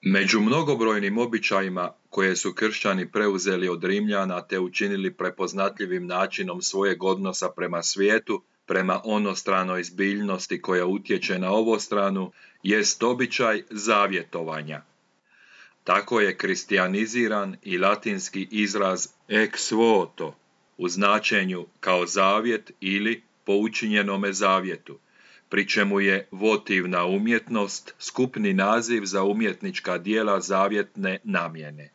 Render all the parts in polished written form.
Među mnogobrojnim običajima koje su kršćani preuzeli od Rimljana te učinili prepoznatljivim načinom svojeg odnosa prema svijetu, prema onostranoj zbiljnosti koja utječe na ovostranu, jest običaj zavjetovanja. Tako je kristijaniziran i latinski izraz ex voto u značenju kao zavjet ili po učinjenome zavjetu, pri čemu je votivna umjetnost skupni naziv za umjetnička djela zavjetne namjene.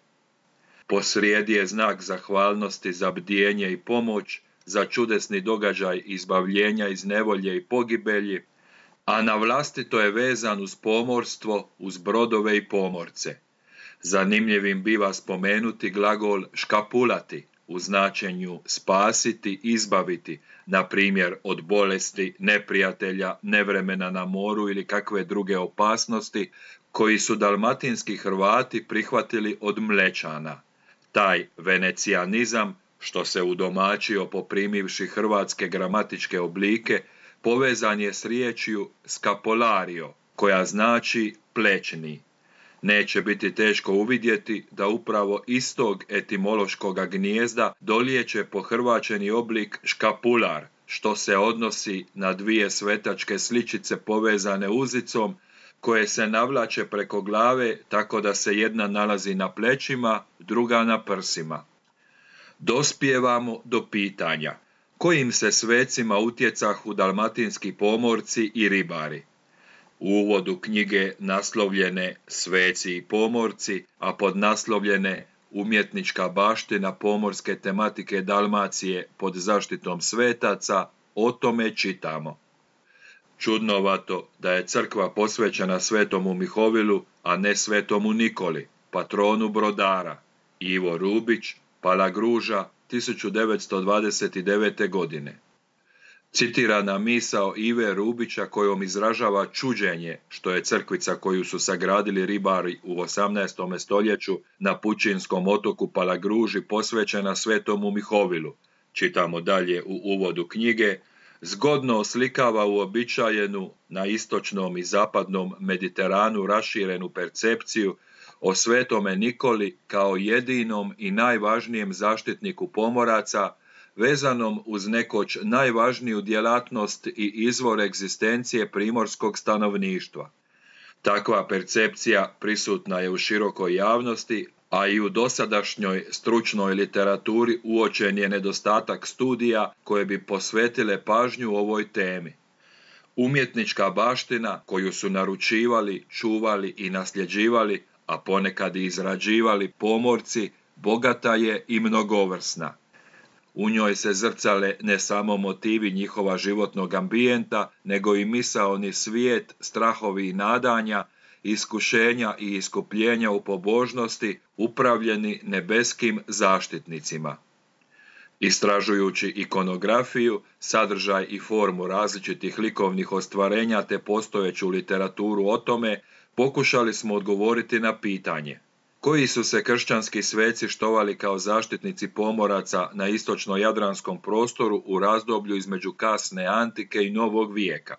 Posrijedi je znak zahvalnosti za bdijenje i pomoć, za čudesni događaj izbavljenja iz nevolje i pogibelji, a na vlastito je vezan uz pomorstvo, uz brodove i pomorce. Zanimljivim biva spomenuti glagol škapulati u značenju spasiti, izbaviti, na primjer od bolesti, neprijatelja, nevremena na moru ili kakve druge opasnosti, koji su dalmatinski Hrvati prihvatili od Mlečana. Taj venecijanizam, što se udomačio poprimivši hrvatske gramatičke oblike, povezan je s riječju scapolario, koja znači plećni. Neće biti teško uvidjeti da upravo iz tog etimološkog gnijezda dolijeće pohrvaćeni oblik škapular, što se odnosi na dvije svetačke sličice povezane uzicom, koje se navlače preko glave tako da se jedna nalazi na plećima, druga na prsima. Dospijevamo do pitanja: kojim se svecima utjecahu dalmatinski pomorci i ribari? U uvodu knjige naslovljene Sveci i pomorci, a podnaslovljene Umjetnička baština pomorske tematike Dalmacije pod zaštitom svetaca, o tome čitamo. Čudnovato da je crkva posvećena svetomu Mihovilu, a ne svetomu Nikoli, patronu brodara. Ivo Rubić, Palagruža, 1929. godine. Citirana misao Ive Rubića kojom izražava čuđenje što je crkvica koju su sagradili ribari u 18. stoljeću na pučinskom otoku Palagruži posvećena svetomu Mihovilu, čitamo dalje u uvodu knjige, zgodno oslikava uobičajenu na istočnom i zapadnom Mediteranu raširenu percepciju o svetome Nikoli kao jedinom i najvažnijem zaštitniku pomoraca, vezanom uz nekoć najvažniju djelatnost i izvor egzistencije primorskog stanovništva. Takva percepcija prisutna je u širokoj javnosti, a i u dosadašnjoj stručnoj literaturi uočen je nedostatak studija koje bi posvetile pažnju ovoj temi. Umjetnička baština koju su naručivali, čuvali i nasljeđivali, a ponekad i izrađivali pomorci, bogata je i mnogovrsna. U njoj se zrcale ne samo motivi njihova životnog ambijenta, nego i misaoni svijet, strahovi i nadanja, iskušenja i iskupljenja u pobožnosti, upravljeni nebeskim zaštitnicima. Istražujući ikonografiju, sadržaj i formu različitih likovnih ostvarenja te postojeću literaturu o tome, pokušali smo odgovoriti na pitanje: koji su se kršćanski sveci štovali kao zaštitnici pomoraca na istočno-jadranskom prostoru u razdoblju između kasne antike i novog vijeka?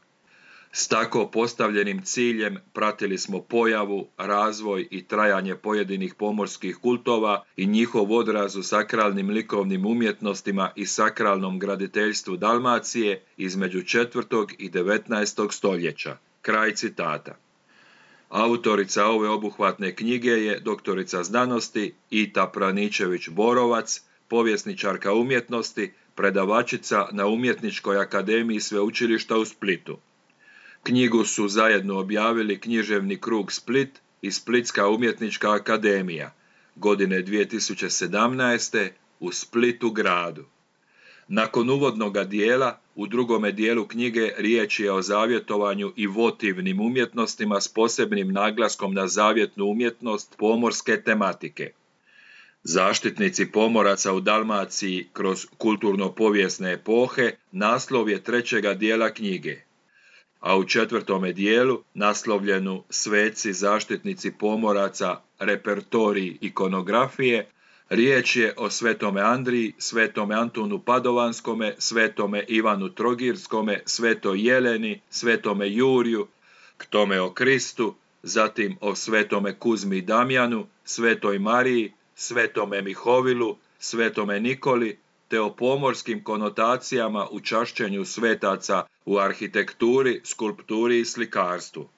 S tako postavljenim ciljem pratili smo pojavu, razvoj i trajanje pojedinih pomorskih kultova i njihov odraz u sakralnim likovnim umjetnostima i sakralnom graditeljstvu Dalmacije između 4. i 19. stoljeća. Kraj citata. Autorica ove obuhvatne knjige je doktorica znanosti Ita Praničević-Borovac, povjesničarka umjetnosti, predavačica na Umjetničkoj akademiji Sveučilišta u Splitu. Knjigu su zajedno objavili Književni krug Split i Splitska umjetnička akademija, godine 2017. u Splitu gradu. Nakon uvodnoga dijela, u drugome dijelu knjige riječ je o zavjetovanju i votivnim umjetnostima s posebnim naglaskom na zavjetnu umjetnost pomorske tematike. Zaštitnici pomoraca u Dalmaciji kroz kulturno-povijesne epohe naslov je trećega dijela knjige, a u 4. dijelu, naslovljenu Sveci zaštitnici pomoraca, repertorij ikonografije, riječ je o svetome Andriji, svetome Antunu Padovanskome, svetome Ivanu Trogirskome, svetoj Jeleni, svetome Juriju, k tome o Kristu, zatim o svetome Kuzmi i Damjanu, svetoj Mariji, svetome Mihovilu, svetome Nikoli, te o pomorskim konotacijama u čašćenju svetaca u arhitekturi, skulpturi i slikarstvu.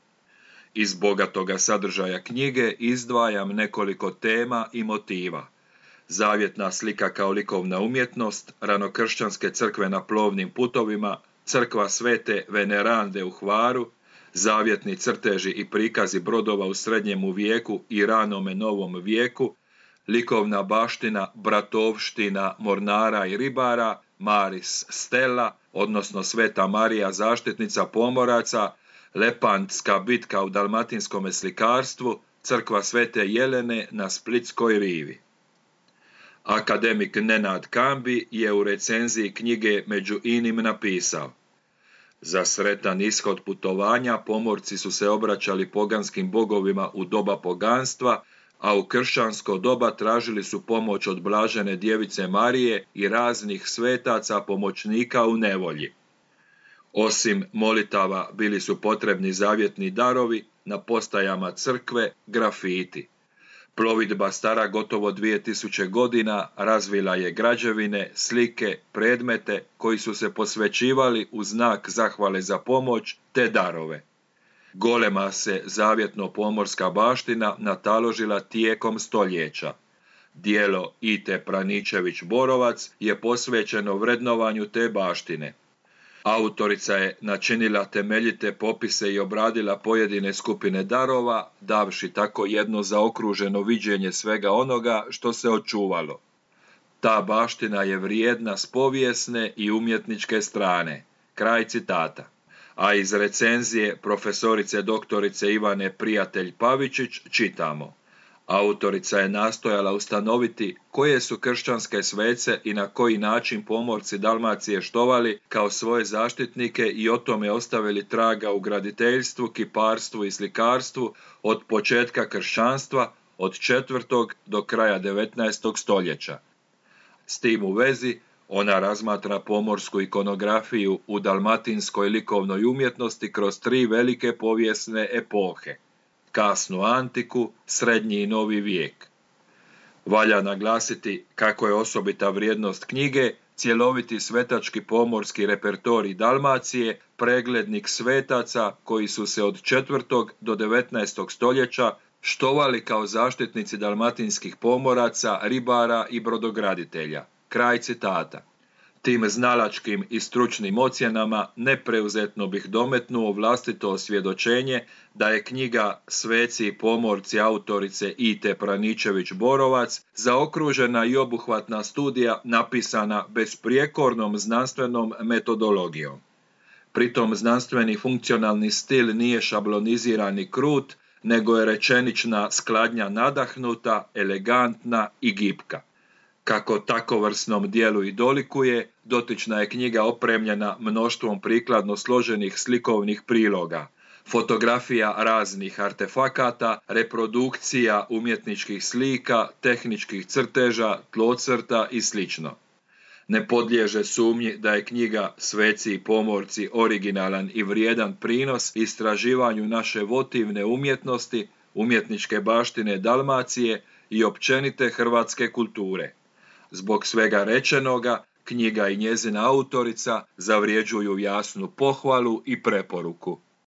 Iz bogatoga sadržaja knjige izdvajam nekoliko tema i motiva. Zavjetna slika kao likovna umjetnost, ranokršćanske crkve na plovnim putovima, crkva svete Venerande u Hvaru, zavjetni crteži i prikazi brodova u srednjemu vijeku i ranome novom vijeku, likovna baština bratovština mornara i ribara, Maris Stella, odnosno Sveta Marija zaštitnica pomoraca, Lepantska bitka u dalmatinskome slikarstvu, crkva Svete Jelene na Splitskoj rivi. Akademik Nenad Kambi je u recenziji knjige Među inim napisao: za sretan ishod putovanja pomorci su se obraćali poganskim bogovima u doba poganstva, a u kršćansko doba tražili su pomoć od blažene djevice Marije i raznih svetaca pomoćnika u nevolji. Osim molitava bili su potrebni zavjetni darovi, na postajama crkve grafiti. Plovidba stara gotovo 2000 godina razvila je građevine, slike, predmete koji su se posvećivali u znak zahvale za pomoć te darove. Golema se zavjetno pomorska baština nataložila tijekom stoljeća. Djelo Ite Praničević-Borovac je posvećeno vrednovanju te baštine. Autorica je načinila temeljite popise i obradila pojedine skupine darova, davši tako jedno zaokruženo viđenje svega onoga što se očuvalo. Ta baština je vrijedna s povijesne i umjetničke strane. Kraj citata. A iz recenzije profesorice doktorice Ivane Prijatelj Pavičić čitamo: autorica je nastojala ustanoviti koje su kršćanske svece i na koji način pomorci Dalmacije štovali kao svoje zaštitnike i o tome ostavili traga u graditeljstvu, kiparstvu i slikarstvu od početka kršćanstva, od 4. do kraja 19. stoljeća. S tim u vezi, ona razmatra pomorsku ikonografiju u dalmatinskoj likovnoj umjetnosti kroz 3 velike povijesne epohe: kasnu antiku, srednji i novi vijek. Valja naglasiti kako je osobita vrijednost knjige cjeloviti svetački pomorski repertorij Dalmacije, preglednik svetaca koji su se od 4. do 19. stoljeća štovali kao zaštitnici dalmatinskih pomoraca, ribara i brodograditelja. Kraj citata. Tim znalačkim i stručnim ocjenama nepreuzetno bih dometnuo vlastito osvjedočenje da je knjiga Sveci i pomorci autorice Ite Praničević-Borovac zaokružena i obuhvatna studija napisana besprijekornom znanstvenom metodologijom. Pritom znanstveni funkcionalni stil nije šabloniziran i krut, nego je rečenična skladnja nadahnuta, elegantna i gipka. Kako takovrsnom dijelu i dolikuje, dotična je knjiga opremljena mnoštvom prikladno složenih slikovnih priloga, fotografija raznih artefakata, reprodukcija umjetničkih slika, tehničkih crteža, tlocrta i sl. Ne podliježe sumnji da je knjiga Sveci i pomorci originalan i vrijedan prinos istraživanju naše votivne umjetnosti, umjetničke baštine Dalmacije i općenite hrvatske kulture. Zbog svega rečenoga, knjiga i njezina autorica zavrjeđuju jasnu pohvalu i preporuku.